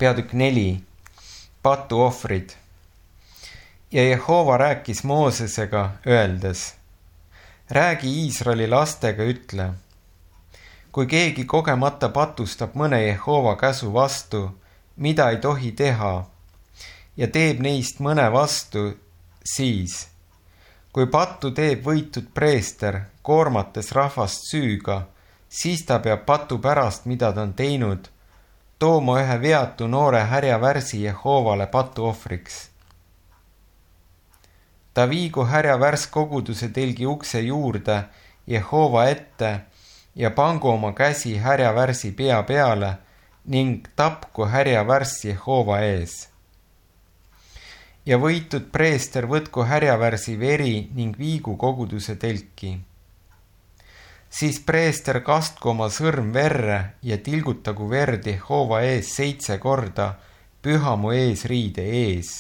Peatükk 4. Patuohvrid. Ja Jehova rääkis Moosesega, öeldes: räägi Iisraeli lastega, ütle: kui keegi kogemata patustab mõne Jehova käsu vastu, mida ei tohi teha, ja teeb neist mõne vastu, siis, kui pattu teeb võitud preester, koormates rahvast süüga, siis ta peab patu pärast, mida ta on teinud, tooma ühe veatu noore härjavärsi Jehovale patuohvriks. Ta viigu härjavärs koguduse telgi ukse juurde Jehova ette ja pangu oma käsi härjavärsi pea peale ning tapku härjavärs Jehova ees. Ja võitud preester võtku härjavärsi veri ning viigu koguduse telki. Siis preester kastku oma sõrm verre ja tilgutagu verd Jehova ees 7 korda pühamu eesriide ees.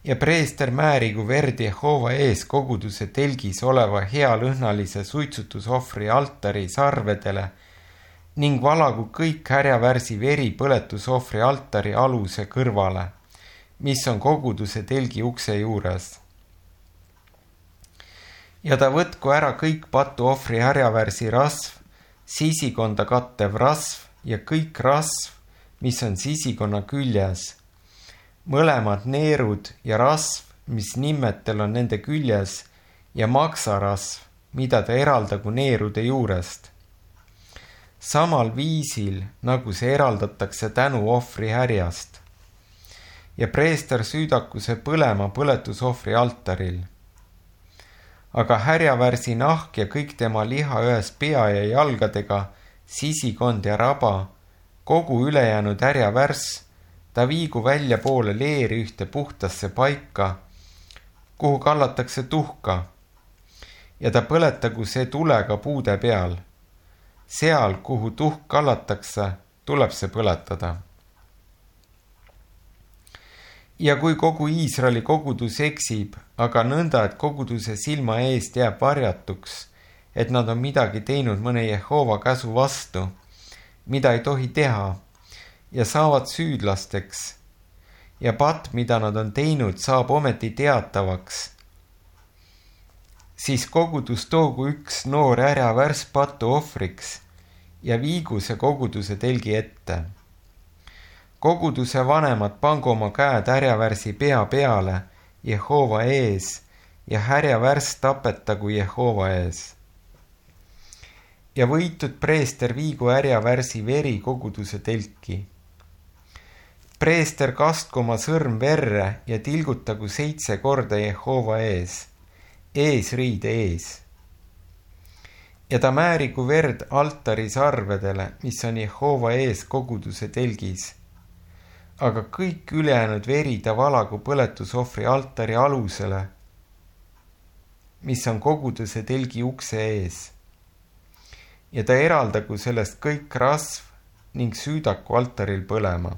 Ja preester määrigu verd Jehova ees koguduse telgis oleva healõhnalise suitsutusohvri altari sarvedele ning valagu kõik härjavärsi veri põletusohvri altari aluse kõrvale, mis on koguduse telgi ukse juures. Ja ta võtku ära kõik patuohvri härjavärsi rasv, sisikonda kattev rasv ja kõik rasv, mis on sisikonna küljes, mõlemad neerud ja rasv, mis nimmetel on nende küljes, ja maksarasv, mida ta eraldagu neerude juurest. Samal viisil, nagu see eraldatakse tänuohvri härjast. Ja preester süüdaku see põlema põletusohvri altaril. Aga härjavärsi nahk ja kõik tema liha ühes pea ja jalgadega, sisikond ja raba, kogu ülejäänud härjavärs, ta viigu välja poole leeri ühte puhtasse paika, kuhu kallatakse tuhka, ja ta põletagu see tulega puude peal. Seal, kuhu tuhk kallatakse, tuleb see põletada. Ja kui kogu Iisraeli kogudus eksib, aga nõnda, et koguduse silma eest jääb varjatuks, et nad on midagi teinud mõne Jehova käsu vastu, mida ei tohi teha, ja saavad süüdlasteks, ja pat, mida nad on teinud, saab ometi teatavaks, siis kogudus toogu üks noor härjavärs patuohvriks ja viigu see koguduse telgi ette. Koguduse vanemad pangu oma käed härjavärsi pea peale Jehova ees ja härjavärs tapetagu Jehova ees. Ja võitud preester viigu härjavärsi veri koguduse telki. Preester kastku oma sõrm verre ja tilgutagu 7 korda Jehova ees, eesriide ees. Ja ta määrigu verd altari sarvedele, mis on Jehova ees koguduse telgis. Aga kõik ülejäänud veri ta valagu põletusohvri altari alusele, mis on koguduse telgi ukse ees. Ja ta eraldagu sellest kõik rasv ning süüdaku altaril põlema.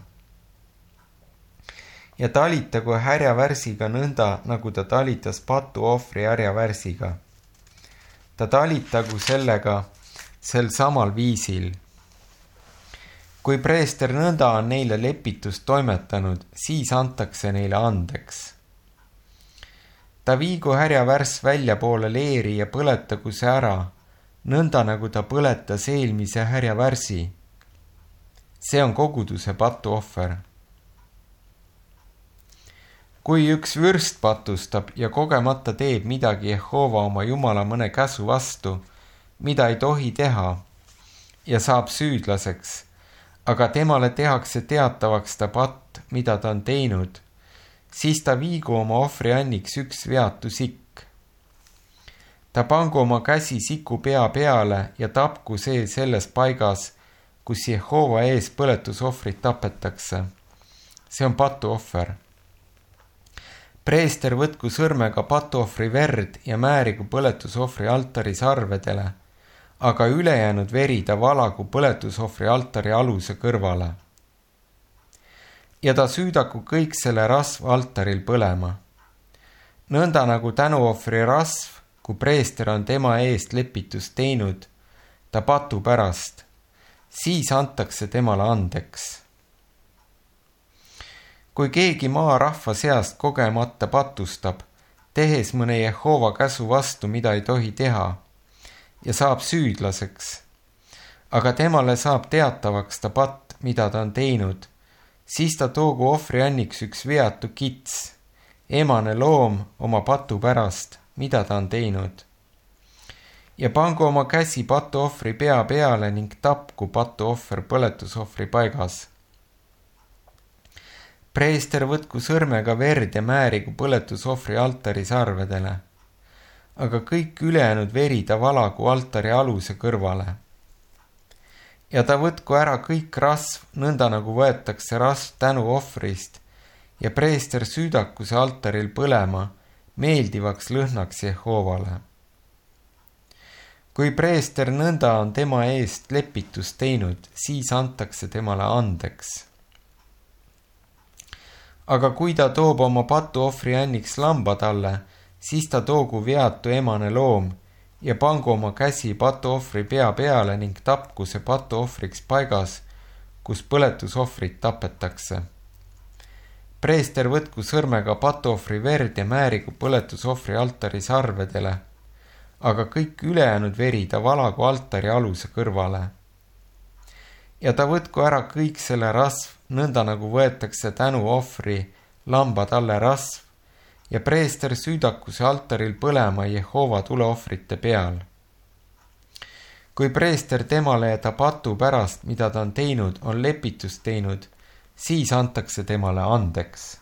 Ja talitagu härjavärsiga nõnda, nagu ta talitas patuohvri härjavärsiga. Ta talitagu sellega sel samal viisil. Kui preester nõnda on neile lepitust toimetanud, siis antakse neile andeks. Ta viigu härjavärs välja poole leeri ja põletagu see ära, nõnda nagu ta põletas eelmise härjavärsi. See on koguduse patuohver. Kui üks vürst patustab ja kogemata teeb midagi Jehova oma Jumala mõne käsu vastu, mida ei tohi teha, ja saab süüdlaseks, aga temale tehakse teatavaks ta patt, mida ta on teinud, siis ta viigu oma ohvrianniks üks veatu sikk. Ta pangu oma käsi siku pea peale ja tapku see selles paigas, kus Jehova ees põletusohvrit tapetakse. See on patuohver. Preester võtku sõrmega patuohvri verd ja määrigu põletusohvri altari sarvedele, aga ülejäänud veri ta valagu põletusohvri altari aluse kõrvale. Ja ta süüdaku kõik selle rasv altaril põlema. Nõnda nagu tänuohvri rasv, kui preester on tema eest lepitust teinud, ta patu pärast, siis antakse temale andeks. Kui keegi maarahva seast kogemata patustab, tehes mõne Jehova käsu vastu, mida ei tohi teha, ja saab süüdlaseks, aga temale saab teatavaks ta patt, mida ta on teinud, siis ta toogu ohvrianniks üks veatu kits, emane loom oma patu pärast, mida ta on teinud. Ja pangu oma käsi patuohvri pea peale ning tapku patuohver põletusohvri paigas. Preester võtku sõrmega verd ja määrigu põletusohvri altari sarvedele, aga kõik ülejäänud veri ta valagu altari aluse kõrvale. Ja ta võtku ära kõik rasv, nõnda nagu võetakse rasv tänuohvrist, ja preester süüdaku see altaril põlema, meeldivaks lõhnaks Jehovale. Kui preester nõnda on tema eest lepitust teinud, siis antakse temale andeks. Aga kui ta toob oma patuohvri anniks lamba talle, siis ta toogu veatu emane loom ja pangu oma käsi patuohvri pea peale ning tapku see patuohvriks paigas, kus põletusohvrit tapetakse. Preester võtku sõrmega patuohvri verd ja määrigu põletusohvri altari sarvedele, aga kõik ülejäänud veri ta valagu altari aluse kõrvale. Ja ta võtku ära kõik selle rasv, nõnda nagu võetakse tänuohvri lamba talle rasv, ja preester süüdaku see altaril põlema Jehova tuleohvrite peal. Kui preester temale ja ta patu pärast, mida ta on teinud, on lepitust teinud, siis antakse temale andeks.